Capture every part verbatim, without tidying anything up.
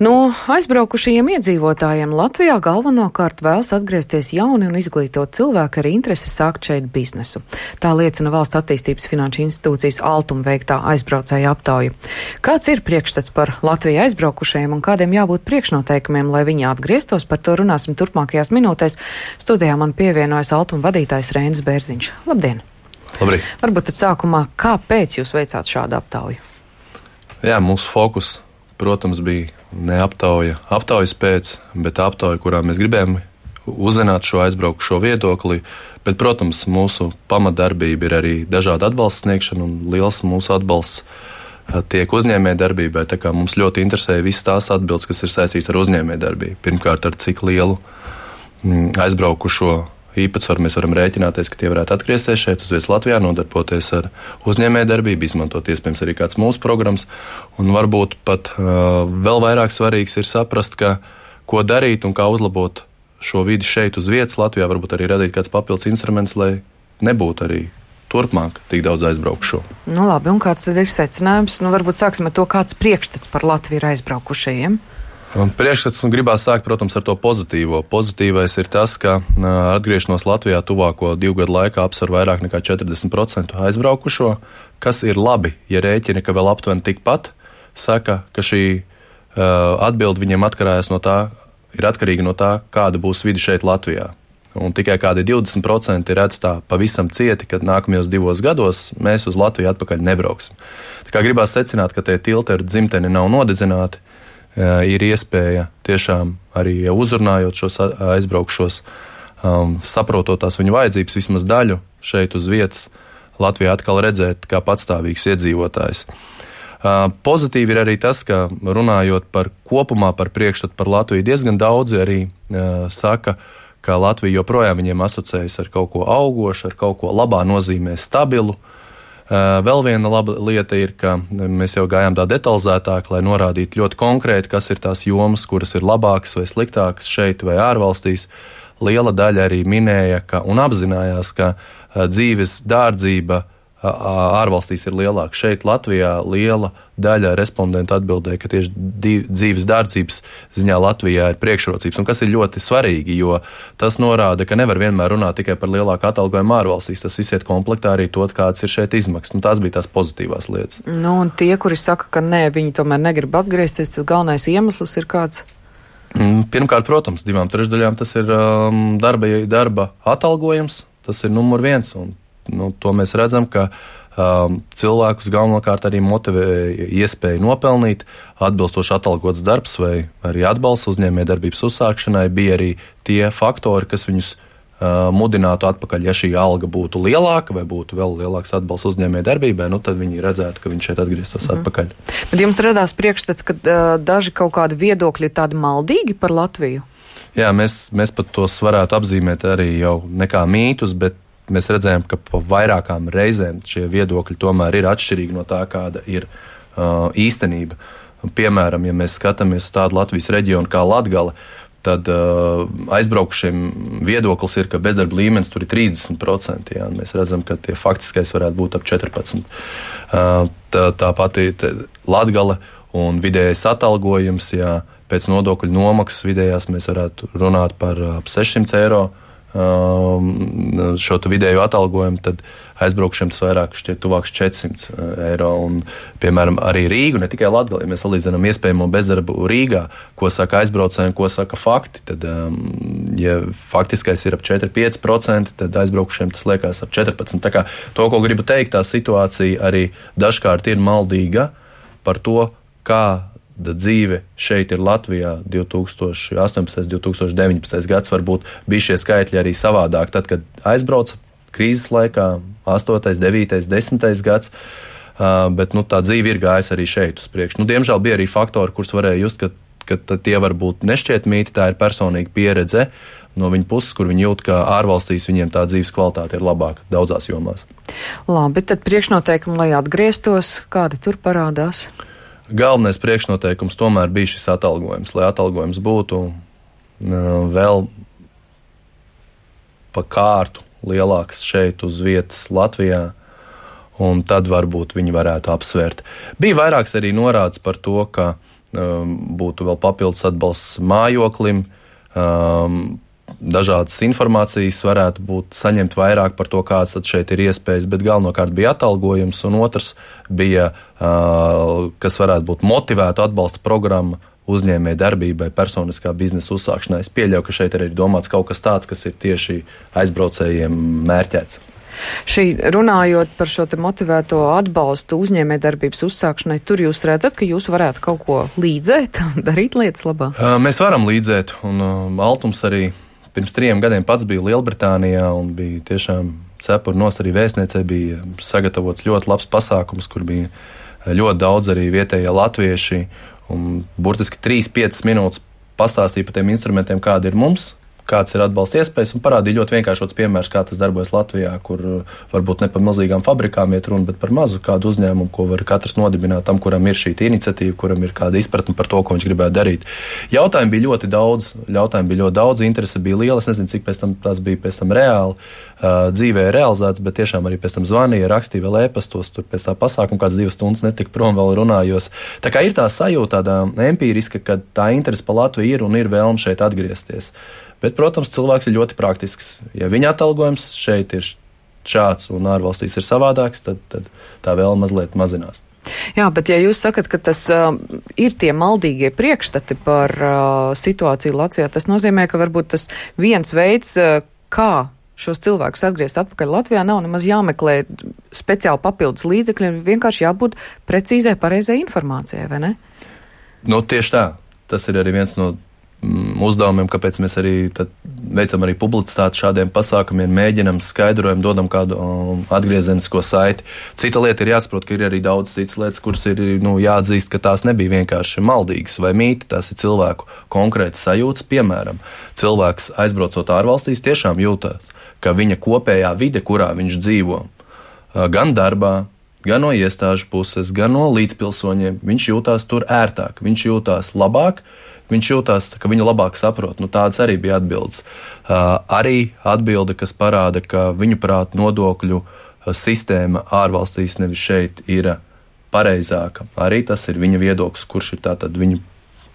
No aizbraukušajiem iedzīvotājiem Latvijā galvenokārt vēlas atgriezties jauni un izglītot cilvēki ar interesi sākt šeit biznesu. Tā liecina Valsts attīstības finanšu institūcijas Altuma veiktā aizbraucēja aptauja. Kāds ir priekšstats par Latviju aizbraukušajiem un kādiem jābūt priekšnoteikumiem, lai viņi atgrieztos? Par to runāsim turpmākajās minūtēs. Studijā man pievienojas Altuma vadītājs Reinis Bērziņš. Labdien! Labrīt! Varbūt tad sākumā, kāpēc jūs veicāt šādu aptauju? Jā, mūsu fokus, protams, bija ne aptauja aptaujas pēc, bet aptauja, kurā mēs gribējām uzzināt šo aizbraukušo viedokli. Bet, protams, mūsu pamatdarbība ir arī dažāda atbalsta sniegšana, un liels mūsu atbalsts tiek uzņēmējdarbībai. Tā kā mums ļoti interesēja visas tās atbildes, kas ir saistīts ar uzņēmējdarbību. Pirmkārt, ar cik lielu aizbraukušo īpatsvaru mēs varam rēķināties, ka tie varētu atgriezties šeit uz vietas Latvijā, nodarboties ar uzņēmējdarbību, izmantot iespējams arī kāds mūsu programmas. Un varbūt pat uh, vēl vairāk svarīgs ir saprast, ka, ko darīt un kā uzlabot šo vidi šeit uz vietas Latvijā, varbūt arī radīt kāds papildus instruments, lai nebūtu arī turpmāk tik daudz aizbraukšo. Nu labi, un kāds tad ir secinājums? Nu varbūt sāksim ar to, kāds priekšstats par Latviju ir aizbraukušajiem. Priekšstats gribās sākt, protams, ar to pozitīvo. Pozitīvais ir tas, ka atgriešanos Latvijā tuvāko divu gadu laikā apsver vairāk nekā četrdesmit procenti aizbraukušo, kas ir labi, ja rēķina, ka vēl aptuveni tikpat saka, ka šī uh, atbilde viņiem atkarājas no tā, ir atkarīga no tā, kāda būs vidi šeit Latvijā. Un tikai kādi divdesmit procenti redz tā pavisam cieti, ka nākamajos divos gados mēs uz Latviju atpakaļ nebrauksim. Tā kā gribās secināt, ka tie tilti ar dzimteni nav nodedzināti, ir iespēja tiešām arī uzrunājot šos aizbraukšos, um, saprotot tās viņu vajadzības, vismaz daļu šeit uz vietas Latvijā atkal redzēt kā patstāvīgs iedzīvotājs. Uh, pozitīvi ir arī tas, ka runājot par kopumā par priekšstatu par Latviju, diezgan daudzi arī uh, saka, ka Latvija joprojām viņiem asociējas ar kaut ko augošu, ar kaut ko labā nozīmē stabilu. Vēl viena laba lieta ir, ka mēs jau gājām tā detalizētāk, lai norādītu ļoti konkrēti, kas ir tās jomas, kuras ir labākas vai sliktākas šeit vai ārvalstīs. Liela daļa arī minēja ka, un apzinājās, ka dzīves dārdzība ārvalstīs ir lielāka. Šeit Latvijā liela daļa respondentu atbildēja, ka tieši dzīves dārdzības ziņā Latvijā ir priekšrocības, un kas ir ļoti svarīgi, jo tas norāda, ka nevar vienmēr runāt tikai par lielāku atalgojumu ārvalstīs, tas viss iet komplektā arī to, kāds ir šeit izmaksas. Nu, tās bija tās pozitīvās lietas. Nu, un tie, kuri saka, ka nē, viņi tomēr negrib atgriezties, tas galvenais iemesls ir kāds? Pirmkārt, protams, divām trešdaļām tas ir um, darba, darba atalgojums, tas ir numur viens, un Nu, to mēs redzam, ka um, cilvēkus galvenokārt arī motivē iespēju nopelnīt, atbilstoši atalgots darbs vai arī atbalsts uzņēmējdarbības uzsākšanai bija arī tie faktori, kas viņus uh, mudinātu atpakaļ. Ja šī alga būtu lielāka vai būtu vēl lielāks atbalsts uzņēmējdarbībai, nu tad viņi redzētu, ka viņš šeit atgrieztos mm. atpakaļ. Bet jums radās priekšstats, ka uh, daži kaut kādi viedokļi ir tādi maldīgi par Latviju? Jā, mēs, mēs pat tos varētu apzīmēt arī jau nekā mītus, bet mēs redzējām, ka pa vairākām reizēm šie viedokļi tomēr ir atšķirīgi no tā, kāda ir uh, īstenība. Piemēram, ja mēs skatāmies uz tādu Latvijas reģionu kā Latgale, tad uh, aizbraukušiem viedoklis ir, ka bezdarba līmenis tur ir trīsdesmit procenti. Jā, mēs redzam, ka tie faktiskais varētu būt ap četrpadsmit procenti. Uh, tā, tā pati Latgale un vidējais atalgojums, jā, pēc nodokļu nomaksas vidējās mēs varētu runāt par ap sešsimt eiro. Um, šo vidēju atalgojumu, tad aizbraukšiem tas vairāk šķiet tuvāks četrsimt eiro. Un, piemēram, arī Rīgu, ne tikai Latgali, ja mēs salīdzinām iespējamo bezdarbu Rīgā, ko saka aizbraucēji un ko saka fakti, tad, um, ja faktiskais ir ap četri līdz pieci procenti, tad aizbraukšiem tas liekas ap četrpadsmit. Tā kā to, ko gribu teikt, tā situācija arī dažkārt ir maldīga par to, kā dzīve šeit ir Latvijā divtūkstoš astoņpadsmitais, divtūkstoš deviņpadsmitais gads, varbūt bija šie skaitļi arī savādāk. Tad, kad aizbrauca krīzes laikā, astotais, devītais, desmitais gads, uh, bet nu, tā dzīve ir gājusi arī šeit uz priekšu. Nu, diemžēl bija arī faktori, kurus varēja just, ka, ka tie varbūt nešķietmīti, tā ir personīga pieredze no viņa puses, kur viņi jūt, ka ārvalstīs viņiem tā dzīves kvalitāte ir labāka daudzās jomās. Labi, tad priekšnoteikumi, lai atgrieztos, kādi tur parādās? Galvenais priekšnoteikums tomēr bija šis atalgojums, lai atalgojums būtu uh, vēl pa kārtu lielāks šeit uz vietas Latvijā, un tad varbūt viņi varētu apsvērt. Bija vairāks arī norādes par to, ka būtu vēl papildus atbalsts mājoklim, dažādas informācijas varētu būt saņemt vairāk par to, kāds tad šeit ir iespējas, bet galvenokārt bija atalgojums, un otrs bija, kas varētu būt motivētu atbalsta programma uzņēmēju darbībai, personiskā biznesa uzsākšanai. Es pieļauju, ka šeit arī ir domāts kaut kas tāds, kas ir tieši aizbraucējiem mērķēts. Šī runājot par šo te motivēto atbalstu uzņēmējdarbības uzsākšanai, tur jūs redzat, ka jūs varētu kaut ko līdzēt, darīt lietas labā? Mēs varam līdzēt, un Altums arī pirms trījiem gadiem pats bija Lielbritānijā un bija tiešām cepuri nost arī vēstniecei, bija sagatavots ļoti labs pasākums, kur bija ļoti daudz arī vietējie latvieši, un burtiski trīs piecas minūtes pastāstīja par tiem instrumentiem, kādi ir mums, kāds ir atbalsta iespējas, un parādīja ļoti vienkāršots piemērs, kā tas darbojas Latvijā, kur varbūt ne par milzīgām fabrikām iet runa, bet par mazu kādu uzņēmumu, ko var katrs nodibināt tam, kuram ir šī iniciatīva, kuram ir kāda izpratne par to, ko viņš gribētu darīt. Jautājumi bija ļoti daudz, jautājumi bija ļoti daudz, interese bija liela, es nezinu, cik pēc tam tās bija pēc tam reāli, uh, dzīvē realizēts, bet tiešām arī pēc tam zvanīja, rakstīja vēl ēpastos, tur pēc tā pasākuma kāds divas stundas netika prom, vēl runājos. Tā kā ir tā sajūta tāda empīriska, ka tā interese pa Latviju ir un ir vēlme šeit atgriezties. Bet, protams, cilvēks ir ļoti praktisks. Ja viņa atalgojums šeit ir šāds un ārvalstīs ir savādāks, tad, tad tā vēl mazliet mazinās. Jā, bet ja jūs sakat, ka tas uh, ir tie maldīgie priekšstati par uh, situāciju Latvijā, tas nozīmē, ka varbūt tas viens veids, uh, kā šos cilvēkus atgriezt atpakaļ Latvijā, nav nemaz jāmeklē speciāli papildus līdzekļi, vienkārši jābūt precīzai, pareizai informācijai, vai ne? Nu, tieši tā. Tas ir arī viens no uzdevumiem, kāpēc mēs arī veicam arī publicitāti šādiem pasākumiem, mēģinam skaidrojumu, dodam kādu um, atgriezenisko saiti. Cita lieta ir jāsaprot, ka ir arī daudz citas lietas, kuras ir nu, jāatzīst, ka tās nebija vienkārši maldīgas vai mīti, tās ir cilvēku konkrēti sajūtas. Piemēram, cilvēks aizbraucot ārvalstīs tiešām jūtās, ka viņa kopējā vide, kurā viņš dzīvo, gan darbā, gan no iestāžu puses, gan no līdzpilsoņiem, viņš jūtās tur ērtāk, viņš jūtās labāk, viņš jūtās, ka viņu labāk saprot. Nu, tādas arī bija atbildes. Uh, arī atbilde, kas parāda, ka viņu prāt nodokļu sistēma ārvalstīs nevis šeit ir pareizāka. Arī tas ir viņa viedoklis, kurš ir tātad viņu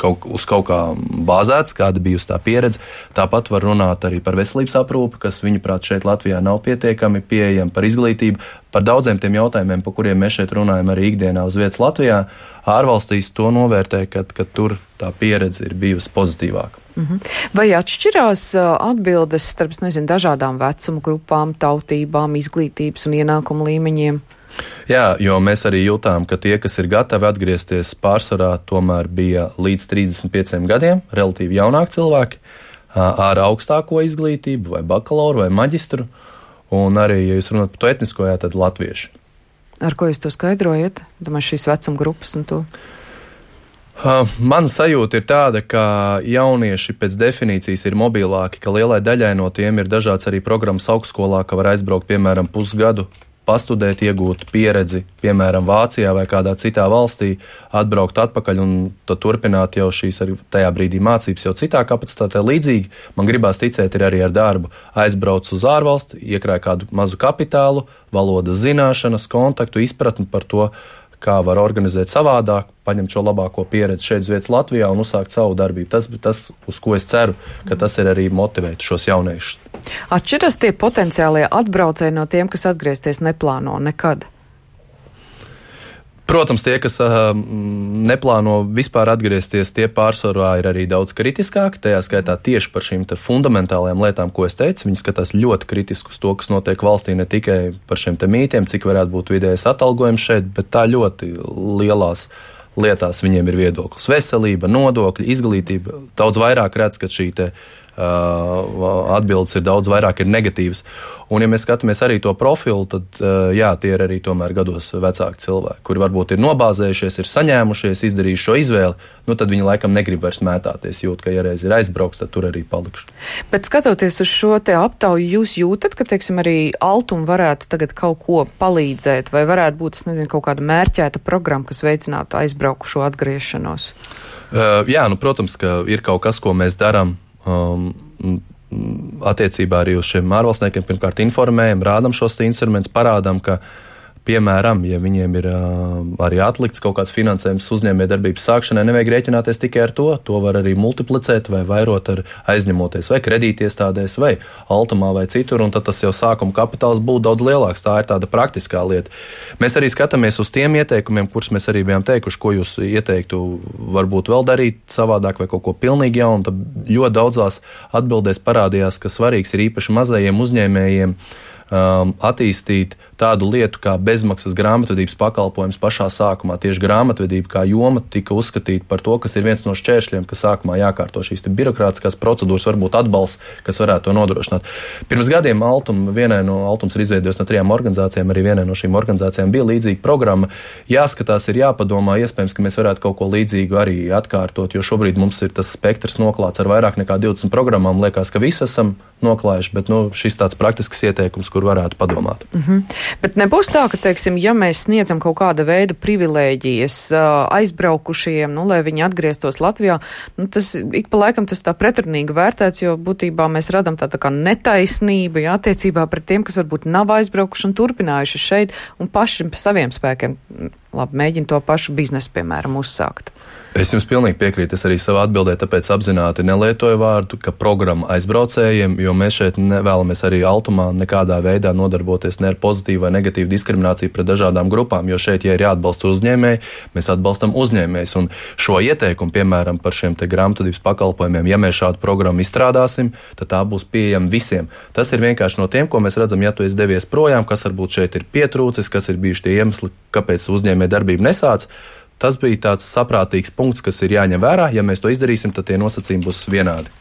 kaut, uz kaut kā bāzēts, kāda bijusi tā pieredze. Tāpat var runāt arī par veselības aprūpi, kas viņuprāt šeit Latvijā nav pietiekami pieejama, par izglītību, par daudziem tiem jautājumiem, par kuriem mēs šeit runājam arī ikdienā uz vietas Latvijā. Ārvalstīs to novērtē, ka, ka tur tā pieredze ir bijusi pozitīvāka. Mhm. Vai atšķirās atbildes starp, nezinu, dažādām vecuma grupām, tautībām, izglītības un ienākumu līmeņiem? Jā, jo mēs arī jūtām, ka tie, kas ir gatavi atgriezties, pārsvarā tomēr bija līdz trīsdesmit pieciem gadiem, relatīvi jaunāki cilvēki, ar augstāko izglītību, vai bakalauru, vai maģistru, un arī, ja jūs runājat par to etnisko, jā, tad latvieši. Ar ko jūs to skaidrojat? Domāju, šīs vecuma grupas un to? Mana sajūta ir tāda, ka jaunieši pēc definīcijas ir mobilāki, ka lielai daļai no tiem ir dažāds arī programmas augstskolā, ka var aizbraukt, piemēram, pusgadu, pastudēt, iegūt pieredzi, piemēram, Vācijā vai kādā citā valstī, atbraukt atpakaļ un tad turpināt jau šīs arī tajā brīdī mācības jau citā kapacitātē. Līdzīgi, man gribās ticēt, ir arī ar darbu. Aizbrauc uz ārvalsti, iekrāj kādu mazu kapitālu, valodas zināšanas, kontaktu, izpratni par to, kā var organizēt savādāk, paņemt šo labāko pieredzi šeit uz vietas Latvijā un uzsākt savu darbību. Tas ir tas, uz ko es ceru, ka tas ir arī motivēt šos jauniešus. Atšķiras tie potenciālie atbraucēji no tiem, kas atgriezties neplāno nekad? Protams, tie, kas uh, neplāno vispār atgriezties, tie pārsvarā ir arī daudz kritiskāki, tajā skaitā tieši par šīm te fundamentālajām lietām, ko es teicu. Viņi skatās ļoti kritiski uz to, kas notiek valstī, ne tikai par šiem te mītiem, cik varētu būt vidējais atalgojums šeit, bet tā ļoti lielās lietās viņiem ir viedoklis. Veselība, nodokļi, izglītība, daudz vairāk redz, ka šī te Uh, atbildes ir daudz vairāk ir negatīvas. Un ja mēs skatāmies arī to profilu, tad uh, jā, tie ir arī tomēr gados vecāki cilvēki, kuri varbūt ir nobāzējušies, ir saņēmušies, izdarījuši šo izvēli, nu tad viņi laikam negrib vairs mētāties, jūt, ka ja reiz ir aizbrauks, tad tur arī palikšu. Bet skatoties uz šo te aptauju, jūs jūtat, ka, teiksim, arī Altum varētu tagad kaut ko palīdzēt, vai varētu būt, es nezinu, kaut kāda mērķēta programma, kas veicinātu aizbraukušo atgriešanos? Uh, jā, nu, protams, ka ir kaut kas, ko mēs darām, Um, attiecībā arī uz šiem ārvalstniekiem. Pirmkārt informējam, rādam šos instrumentus, parādam, ka piemēram, ja viņiem ir uh, arī atlikts kaut kāds finansējums uzņēmējdarbības sākšanai, nevajag rēķināties tikai ar to. To var arī multiplicēt vai vairot ar aizņemoties vai kredītiestādēs vai Altumā vai citur, un tad tas jau sākuma kapitāls būtu daudz lielāks. Tā ir tāda praktiskā lieta. Mēs arī skatāmies uz tiem ieteikumiem, kurus mēs arī bijām teikuši, ko jūs ieteiktu varbūt vēl darīt savādāk vai kaut ko pilnīgi jaunu. Tad ļoti daudzās atbildēs parādījās, ka svarīgs ir īpaši mazajiem uzņēmējiem Um, attīstīt tādu lietu kā bezmaksas grāmatvedības pakalpojums pašā sākumā. Tieši grāmatvedība kā joma tika uzskatīta par to, kas ir viens no šķēršļiem, ka sākumā jākārto šīs birokrātiskās procedūras, varbūt atbalsts, kas varētu to nodrošināt. Pirms gadiem Altum, vienai no Altums ir izveidojis no trijām organizācijām, arī vienai no šīm organizācijām bija līdzīga programma. Jāskatās, ir jāpadomā, iespējams, ka mēs varētu kaut ko līdzīgu arī atkārtot, jo šobrīd mums ir tas spektrs noklāts ar vairāk nekā divdesmit programmām. Liekas, ka visi esam noklājuši, bet nu, šis tāds praktisks ieteikums, kur varētu padomāt. Mm-hmm. Bet nebūs tā, ka, teiksim, ja mēs sniedzam kaut kāda veida privilēģijas aizbraukušiem, nu, lai viņi atgrieztos Latvijā, nu, tas ik pa laikam tas tā pretrunīgi vērtēts, jo būtībā mēs radam tā, tā kā netaisnību, jā, attiecībā pret tiem, kas varbūt nav aizbraukuši un turpinājuši šeit un paši saviem spēkiem, labi, mēģina to pašu biznesu, piemēram, uzsākt. Es jums pilnīgi piekrītu, es arī savā atbildē tāpēc apzināti nelietoju vārdu, ka programma aizbraucējiem, jo mēs šeit nevēlamies arī Altumā nekādā veidā nodarboties ne ar pozitīvu vai negatīvu diskrimināciju pret dažādām grupām, jo šeit, ja ir jāatbalsta uzņēmēji, mēs atbalstam uzņēmējus. Un šo ieteikumu, piemēram, par šiem te grāmatvedības pakalpojumiem, ja mēs šādu programmu izstrādāsim, tad tā būs pieejama visiem. Tas ir vienkārši no tiem, ko mēs redzam, ja tu esi devies projām, kas varbūt šeit ir pietrūcis, kas ir bijuši tie iemesli, kāpēc uzņēmēja darbība nesāc. Tas bija tāds saprātīgs punkts, kas ir jāņem vērā. Ja mēs to izdarīsim, tad tie nosacījumi būs vienādi.